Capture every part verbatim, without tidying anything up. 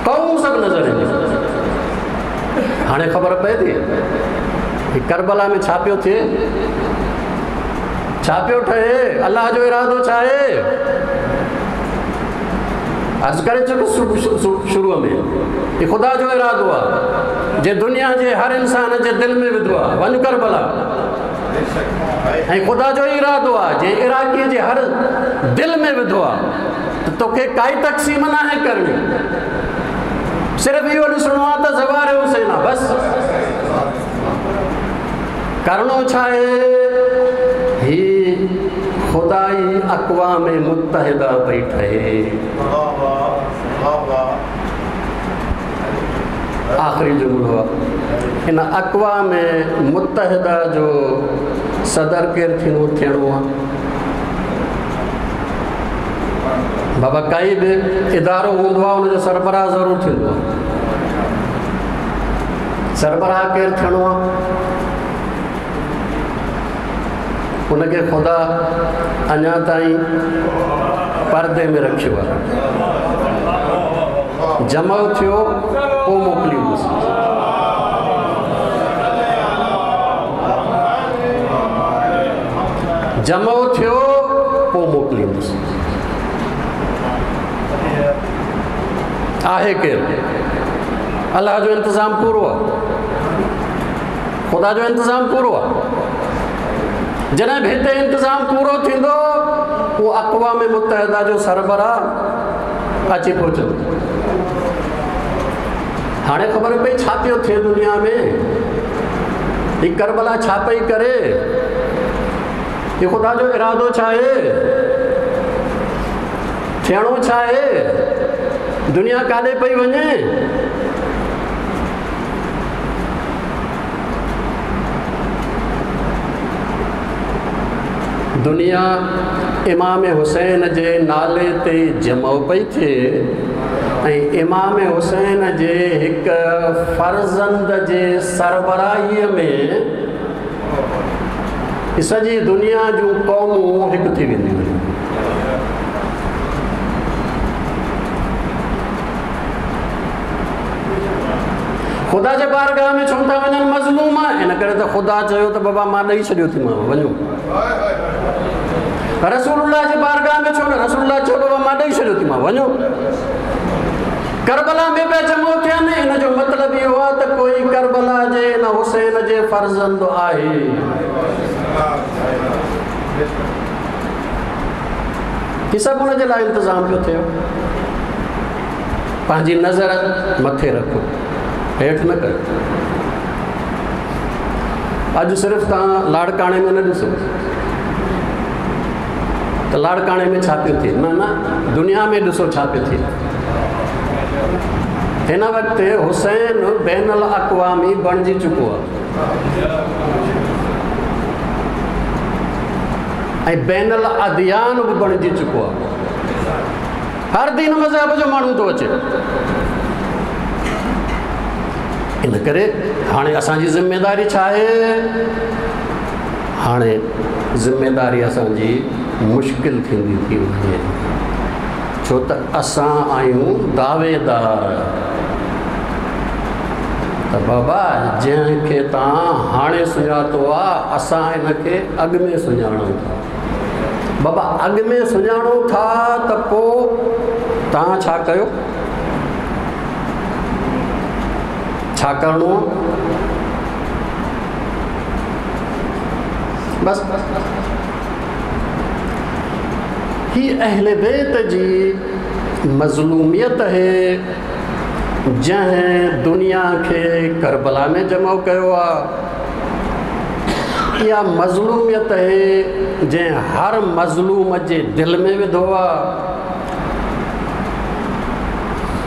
क़ौम सभु नज़र ईंदियूं। हाणे ख़बर पए थी करबला में छा पियो थिए, छा पियो ठहे, अलाह जो इरादो छा आहे। अर्ज़ु करे चुको शुरू में कि ख़ुदा जो इरादो आहे जे दुनिया जे हर इंसान जे दिलि में विधो आहे, वञ करबला। ऐं ख़ुदा जो इरादो आहे जे इराक़ीअ जे हर दिलि में विधो आहे, त तोखे काई तक़सीम न आहे करणी, सिर्फ़ु इहो ॾिसणो आहे त ज़वार हुसैन आहे, बसि। करणो छा आहे, ही ख़ुदाई अक़वाम मुत्तहिदा पई ठहे। आख़िरी जुमिलो आहे, हिन अक़वाम मुत्तहिदा जो सदर केरु थींदो थियणो आहे? बाबा काई बि इदारो हूंदो आहे उनजो सरबराह ज़रूरु थींदो आहे। सरबराह केरु थियणो आहे? उनखे ख़ुदा अञा ताईं परदे में रखियो आहे। जमो थियो पोइ मोकिलींदुसि। जमो थियो पोइ मोकिलींदुसि। आहे केरु? अलाह जो इंतज़ाम पूरो आहे, ख़ुदा जो इंतज़ाम पूरो आहे। जॾहिं बि हिते इंतज़ाम पूरो थींदो उहो अक़वाम मुत्तहिदा जो सरबराह अची पहुचंदो। हाणे ख़बर पई छा पियो थिए दुनिया में, हीअ करबला छा पई करे, हीअ ख़ुदा जो इरादो छा आहे, थियणो छा आहे, दुनिया काॾे पई वञे। दुनिया इमाम हुसैन जे नाले ते जमो पई थिए ऐं इमाम हुसैन जे हिकु फर्ज़ंद जे सरबराहीअ में सॼी दुनिया जूं क़ौमूं हिकु थी वेंदियूं आहिनि। ख़ुदा जे बारगाह में छो था वञनि मज़लूम? इन करे त ख़ुदा चयो त बाबा मां ॾेई छॾियो थी मां, वञो। रसूलुल्लाह जे बारगाह में छो न? रसूलुल्लाह चयो बाबा मां ॾेई छॾियो थी मां, वञो। करबला में पिया जमो थियनि, इन जो मतिलबु इहो आहे त कोई करबला जे इन हुसैन जे फर्ज़ंद आहे। हीअ सभु हुनजे लाइ इंतज़ाम पियो थियो। पंहिंजी नज़र मथे रखो, हेठि न कयो। अॼु सिर्फ़ु तव्हां लाड़काणे में न ॾिसो त लाड़काणे में छा पियो थिए, न न, दुनिया में ॾिसो छा पियो थिए। हिन वक़्तु हुसैन बैन अल अक़वामी बणिजी चुको आहे ऐं बैन अल अदियान बि बणिजी चुको आहे। हर दीन मज़हब जो माण्हू थो अचे। इन करे हाणे असांजी ज़िम्मेदारी छा आहे? हाणे ज़िम्मेदारी असांजी मुश्किल थींदी थी वञे, छो त असां आहियूं दावेदार। त बाबा जंहिंखे तव्हां हाणे सुञातो आहे, असां हिनखे अॻु में सुञाणूं था। बाबा अॻु में सुञाणूं था त पोइ तव्हां छा कयो? छा करिणो आहे? बसि हीअ अहले बैत जी मज़लूमियत है जंहिं दुनिया खे करबला में जमो कयो आहे। इहा मज़लूमियत है जंहिं हर मज़लूम जे दिलि में विधो आहे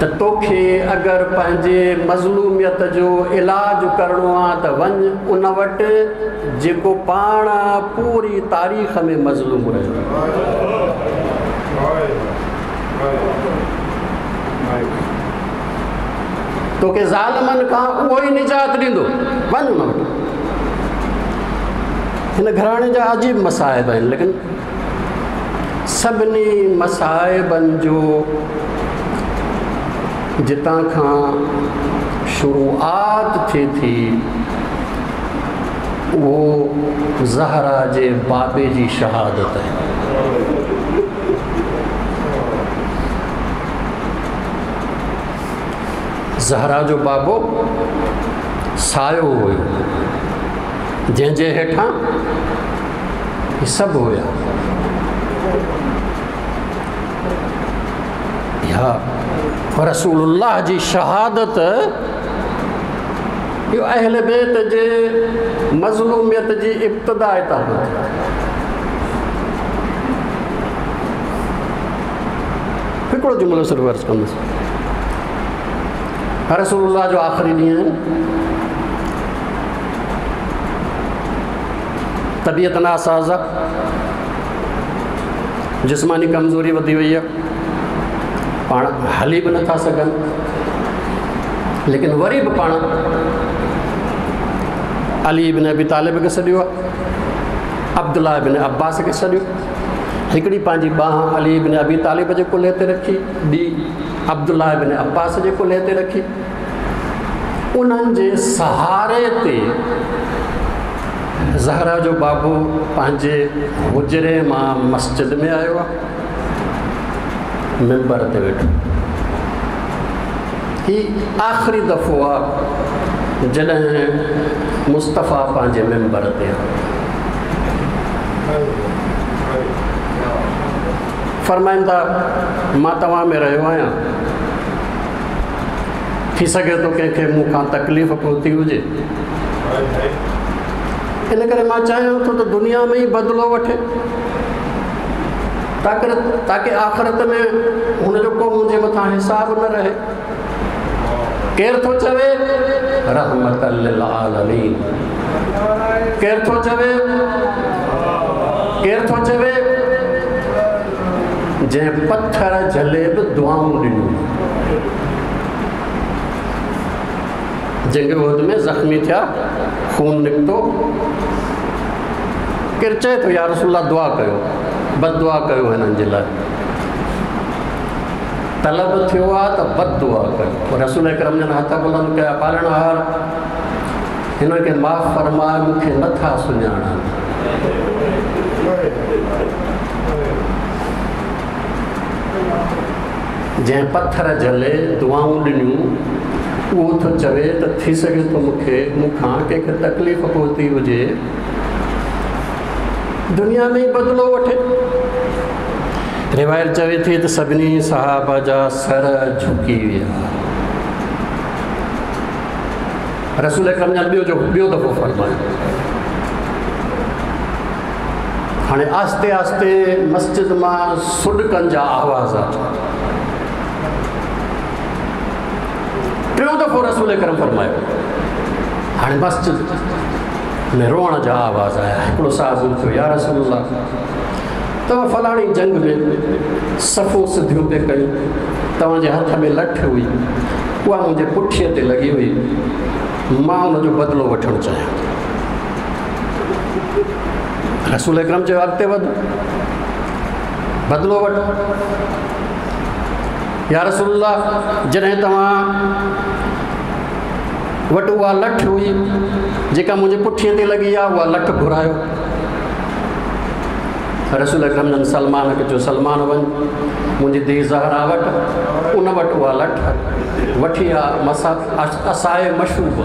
त तोखे अगरि पंहिंजे मज़लूमियत जो इलाज करिणो आहे त वञ उन वटि जेको पाण पूरी तारीख़ में मज़लूम रहियो। तोखे ज़ालिमनि खां उहो ई निजात ॾींदो, वञ उन वटि। हिन घराणे जा अजीब मसाइब आहिनि, लेकिन सभिनी मसाइबनि जो जितां खां शुरूआत थिए थी उहो ज़हरा जे बाबे जी शहादत आहे। ज़हरा जो बाबो सायो हुयो, जंहिंजे हेठां सभु हुया। इहा रसूलुल्लाह जी शहादत इहो अहल बैत जे मज़लूमियत जी इब्तिदा हितां खां थी। हिकिड़ो जुमिलो सिर्फ़ु अर्ज़ु कंदुसि। रसूलुल्लाह जो आख़िरी ॾींहुं आहिनि, तबीयत नासाज़ आहे, जिस्मानी कमज़ोरी वधी वई आहे, पाण हली बि नथा सघनि, लेकिन वरी बि पाण अली इब्न अबी तालिब खे सॾियो आहे, अब्दुल्ला इब्न अब्बास खे सॾियो। हिकिड़ी पंहिंजी ॿांह अली इब्न अबी तालिब जे कुल्हे ते रखी, ॿी अब्दुल्ला इब्न अब्बास जे कुल्हे ते रखी। उन्हनि जे सहारे ते ज़हरा जो बाबू पंहिंजे हुजरे मां मस्जिद में आयो आहे, मिंबर ते वेठो। ही आख़िरी दफ़ो आहे जॾहिं मुस्तफ़ा पंहिंजे मिंबर ते आयो। फरमाइनि था मां तव्हां में रहियो आहियां, थी सघे थो कंहिंखे मूंखां तकलीफ़ पहुती हुजे, इन करे मां चाहियां थो त दुनिया में ई बदिलो वठे, ताकि ताकि आख़िरत में हुनजो को मुंहिंजे मथां हिसाब न रहे। केरु थो चवे? रहमत लिल आलमीन। केरु थो चवे? केरु थो चवे? जंहिं पथर झले बि दुआऊं ॾिनियूं। जंग उहद में ज़ख़्मी थिया, खून निकितो, केरु चए थो या रसूलुल्लाह दुआ कयो, बददुआ कयो हिननि जे लाइ। तलब थियो आहे त बददुआ कयो। रसूल अकरम जन हथ बुलंद कया, पालणहार हिन खे माफ़ फरमाए, मूंखे नथा सुञाणनि। जंहिं पथर झले दुआऊं ॾिनियूं उहो थो चवे त थी सघे थो मूंखे मूंखां कंहिंखे तकलीफ़ पहुती हुजे, दुनिया में ई बदिलो वठे। रिवायत चवे थी त सभिनी सहाबा जा सर झुकी विया। रसूल अकरम जन ॿियो जो ॿियो दफ़ो फरमायो। हाणे आहिस्ते आहिस्ते मस्जिद मां सुॾकनि जा आवाज़ आया। टियों दफ़ो रसूल अकरम फरमायो। हाणे मस्जिद में रोअण जा आवाज़ आया। हिकिड़ो साहब उथियो, या रसूलुल्लाह तव्हां फलाणी जंग में सफ़ो सिधियूं पिए कयूं, तव्हांजे हथ में लठ हुई, उहा मुंहिंजे पुठीअ ते लॻी हुई, मां हुनजो बदिलो वठणु चाहियां। रसूल अकरम चयो अॻिते वध, बदिलो वठि। या रसूलुल्लाह जॾहिं तव्हां वटि उहा लठ हुई जेका मुंहिंजे पुठीअ ते लॻी आहे, उहा लठ घुरायो। रसूल अकरम जन सलमान खे चयो, सलमान वञ मुंहिंजी धीउ ज़हरा वटि, उन वटि उहा लठ वठी आ, मसा असाए मशूब।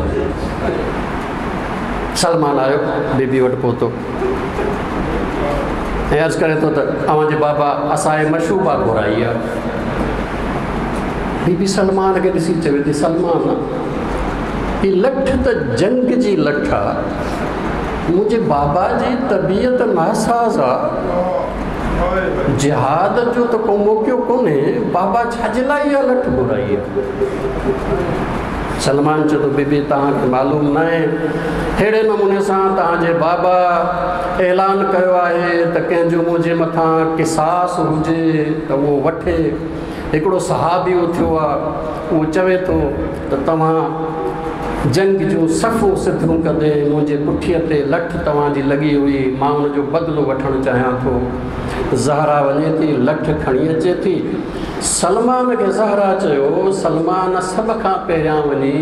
सलमान आयो, बीबी वटि पहुतो ऐं अर्ज़ु करे थो त अव्हांजे बाबा असाए मशूबा घुराई आहे। बीबी सलमान खे ॾिसी चवे थी, सलमान ही लठ त जंग जी लठ आहे, मुंहिंजे बाबा जी तबीयत नासाज़ आहे, जिहाद जो त को मौक़ो कोन्हे, बाबा छा जे लाइ इहा लठ घुराई आहे? सलमान चयो थो, बीबी तव्हांखे मालूम न आहे, अहिड़े नमूने सां तव्हांजे बाबा ऐलान कयो आहे त कंहिंजो मुंहिंजे मथां किसास हुजे त उहो वठे। हिकिड़ो सहाबी उथियो आहे, उहो चवे थो त तव्हां जंग जूं सफ़ूं सिधियूं कंदे मुंहिंजे पुठीअ ते लठ तव्हांजी लॻी हुई, मां हुनजो बदिलो वठणु चाहियां थो। ज़हरा वञे थी, लठ खणी अचे थी, सलमान खे ज़हरा चयो, सलमान सभ खां पहिरियां वञी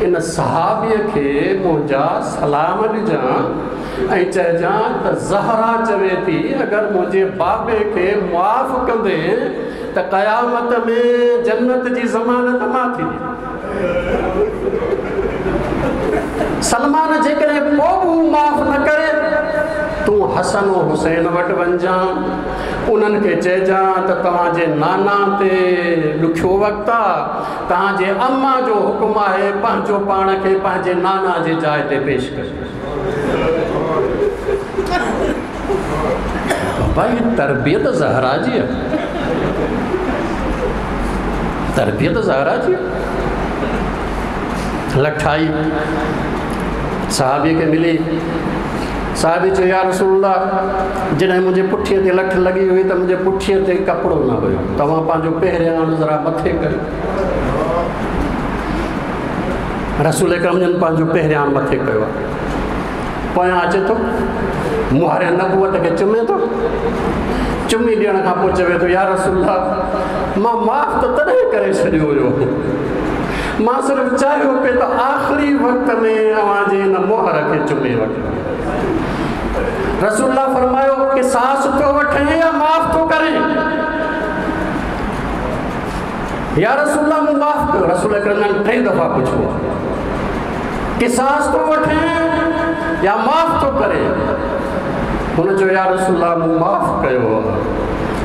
इन सहाबीअ खे मुंहिंजा सलाम ॾिजां ऐं चइजां त ज़हरा चवे थी अगरि मुंहिंजे बाबे खे मुआफ़ कंदे त क़यामत में जन्नत जी ज़मानत मां थी ॾियां। सलमान जेकॾहिं पोइ बि माफ़ न करे तूं हसन हुसैन वटि वञिजां, उन्हनि खे चइजां त तव्हांजे नाना ते ॾुखियो वक़्तु आहे, तव्हांजे अम्मा जो हुकुम आहे पंहिंजो पाण खे पंहिंजे नाना जे जाइ ते पेश कयो। भाई तरबियत ज़हरा जी आहे, तरबियत ज़हरा जी। लठाई सहाबी खे मिली, साहबी चयो या रसूलुल्लाह जॾहिं मुंहिंजे पुठीअ ते लठ लॻी हुई त मुंहिंजे पुठीअ ते कपिड़ो न हुयो, तव्हां पंहिंजो पहिरियाण ज़रा मथे कयो। रसूल अकरम जन पंहिंजो पहिरियाण मथे कयो आहे, पोयां अचे थो मुहारे नबूवत खे चुमे थो, चुमी ॾियण खां पोइ चवे थो या रसूलुल्लाह मां माफ़ त तॾहिं करे छॾियो हुयो, मां सिर्फ़ु चाहियो पिए त आख़िरी वक़्त में अव्हांजे हिन मोहर खे चुमे वठां। रसूलुल्लाह फरमायो कि सास थो वठे या माफ़ थो करे? या रसूलुल्लाह मूं माफ़ कयो। रसूल अकरम टे दफ़ा पुछियो कि सास थो वठे या माफ़ थो करे? हुन चयो या रसूलुल्लाह मूं माफ़ कयो।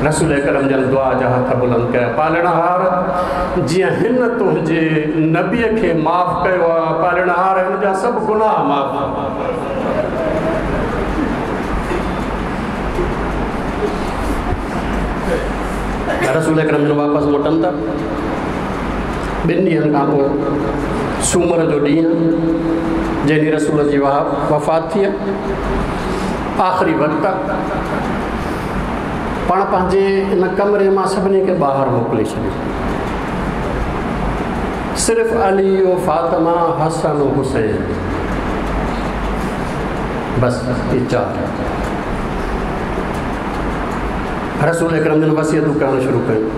रसूल अकरम जन दुआ जा हथ बुलंद कया, पालणहार जीअं हिन तुंहिंजे नबीअ खे माफ़ कयो आहे, पालणहार हिन जा सभु गुनाह माफ़। रसूल अकरम जन वापसि मोटनि था। ॿिनि ॾींहनि खां पोइ सूमर जो ॾींहुं जंहिं ॾींहुं रसूल जी वफ़ात थी आहे, आख़िरी वक़्तु आहे, पाण पंहिंजे इन कमरे मां सभिनी खे ॿाहिरि मोकिले छॾियो, सिर्फ़ु अली फातिमा हसन हुसैन बसि इहे चारि। रसूल अकरम जन वसियतूं करणु शुरू कयूं।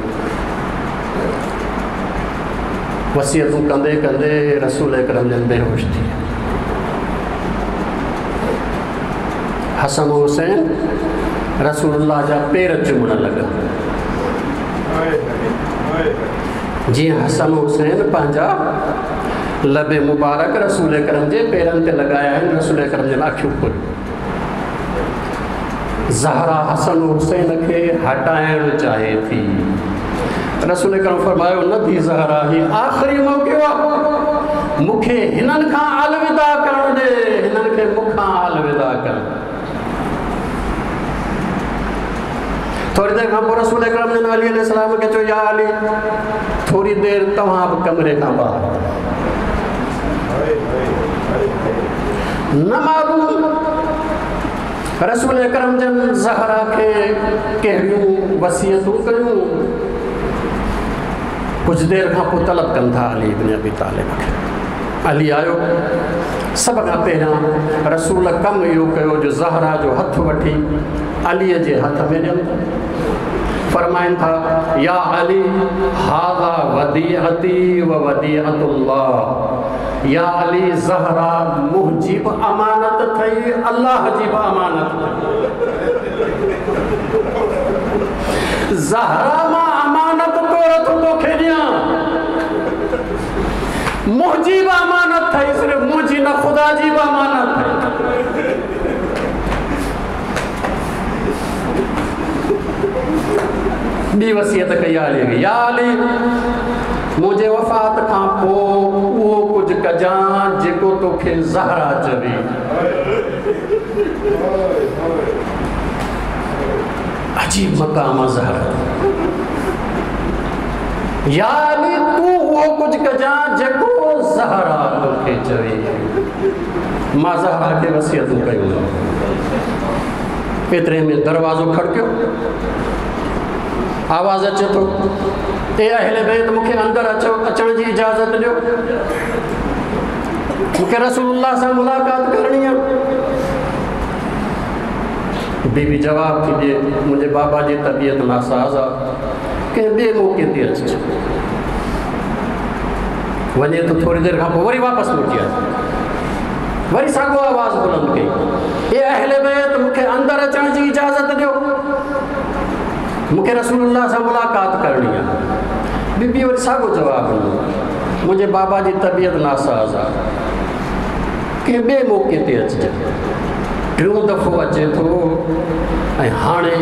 वसियतूं कंदे कंदे रसूल अकरम जन बेहोश थी विया। हसन हुसैन रसूलुल्लाह जा पेर चुमण लॻा, जीअं हसन हुसैन पंहिंजा लब मुबारक रसूल अकरम जे पेरनि ते लॻाया आहिनि। रसूल अकरम जन अखियूं खोलियूं, ज़हरा हसन हुसैन खे हटाइणु चाहे थी। रसूल अकरम फरमायो न थी ज़हरा, ही आख़िरी मौक़ो आहे, मूंखे हिननि खां अलविदा करणु ॾे, हिननि खे मूंखां अलविदा करणु। थोरी देरि खां पोइ रसूल अकरम जन अली अलैहिस्सलाम खे चयो या अली थोरी देरि तव्हां बि कमरे खां ॿाहिरि। न मालूम रसूल अकरम जन ज़हरा खे कहिड़ियूं वसियतूं कयूं। कुझु देरि खां पोइ तलब कनि था अली इब्न अबी तालिब खे। अली आयो, सभ खां पहिरियां रसूल कमु इहो कयो जो ज़हरा जो हथु वठी अलीअ जे हथ में ॾियनि था। फरमाइनि था या अली हाज़ा वदीअती व वदीअतुल्लाह, या अली ज़हरा मुंहिंजी बि अमानत अथई, अल्लाह जी बि अमानत अथई। ज़हरा मां अमानत तौर थो तोखे ॾियां, मुंहिंजी बि अमानत अथई, सिर्फ़ु मुंहिंजी न ख़ुदा जी बि अमानत अथई। ॿी वसियत कई अली खे, या अली मुंहिंजे वफ़ात खां पोइ उहो कुझु कजां जेको तोखे ज़हरा चवे। अजीब मक़ाम आहे ज़हरा। या अली तूं उहो कुझु कजां जेको ज़हरा तोखे चवे। मां ज़हरा खे वसियतूं कयूं। एतिरे में दरवाज़ो खड़कियो, आवाज़ अचे थो, ए अहले बैत मूंखे अंदरि अचो, अचण जी इजाज़त ॾियो, मूंखे रसूलुल्लाह सां मुलाक़ात करणी आहे। बीबी जवाब थी ॾिए, मुंहिंजे बाबा जी तबीयत नासाज़ आहे, कंहिं ॿिए मौक़े ते अचिजो। वञे थो थोरी देरि खां पोइ वरी वापसि मोटी आयो, वरी साॻियो आवाज़ बुलंद कई, ए अहले बैत मूंखे अंदरि अचण जी इजाज़त ॾियो, मूंखे रसूलुल्लाह सां मुलाक़ात करणी आहे। बीबी वरी साॻियो जवाबु ॾिनो, मुंहिंजे बाबा जी तबीयत नासाज़ आहे, कंहिं ॿिए मौक़े ते अचिजांइ। टियों दफ़ो अचे थो ऐं हाणे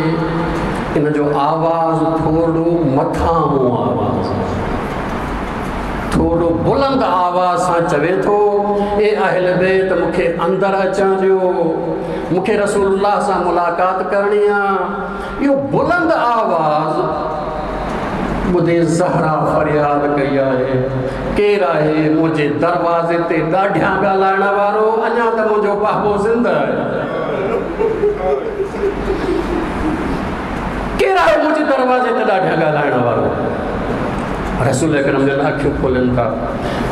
इन जो आवाज़ थोरो मथां आवाज़, थोरो बुलंद आवाज़ सां चवे थो, ए अहल बैत मूंखे अंदरि अचण ॾियो, मूंखे रसूलुल्लाह सां मुलाक़ात करणी आहे। इहो बुलंद आवाज़ ॿुधे ज़हरा फरियाद कई आहे, केरु आहे मुंहिंजे दरवाज़े ते ॾाढियां ॻाल्हाइण वारो, अञा त मुंहिंजो बाबो ज़िंदा आहे, केरु आहे मुंहिंजे दरवाज़े ते ॾाढियां ॻाल्हाइण वारो। रसूल अकरम जन अखियूं खोलनि था,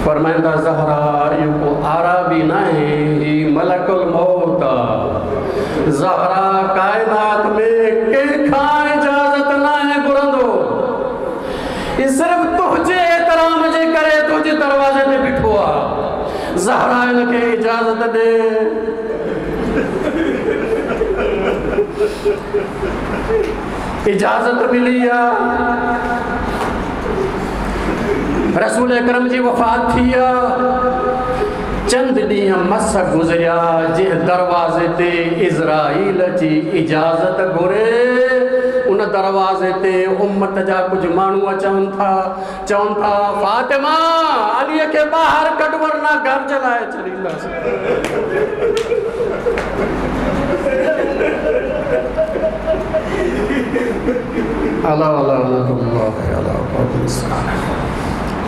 फरमाइनि था, ज़हरा इहो को आराबी न आहे, हीउ मलकुल मौत आहे। ज़हरा काइनात में कंहिंखां इजाज़त न आहे घुरंदो, सिर्फ़ तुंहिंजे एहतराम जे करे तुंहिंजे दरवाज़े ते बीठो आहे। ज़हरा हिनखे इजाज़त ॾे। इजाज़त मिली आहे, रसूल अकरम जी वफ़ात थी आहे। चंद ॾींहं मस गुज़रिया, जंहिं दरवाज़े ते इज़राइल जी इजाज़त घुरे, उन दरवाज़े ते उम्मत जा कुझु माण्हू अचनि था, चवनि था फातिमा अलीअ खे ॿाहिरि कढ वरना घर जलाए छॾींदासीं। अला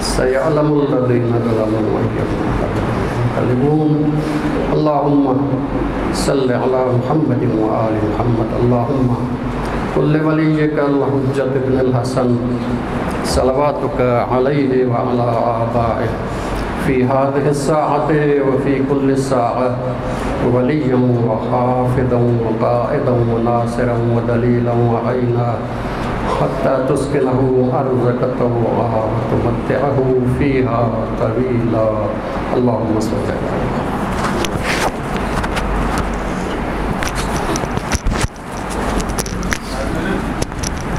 सयअलमुल लज़ीना ज़लमू यनक़लिबून। अल्लाहुम्मा सल्लि अला मुहम्मद व आलि मुहम्मद। अल्लाहुम्मा कुल्ल वलिय्यिका अल-हुज्जत इब्न अल-हसन सलवातुक अलैहि व अला आबाइहि फ़ी हाज़िहि अस्साअति व फ़ी कुल्लि साअह वलिय्यन व हाफ़िज़न व क़ाइदन व नासिरन व दलीलन व ऐना हत्ता तुस्किनहु अर्ज़क तौआ व तुमत्तिअहु फ़ीहा तवीला। अल्लाहुम्मा सल्लि अला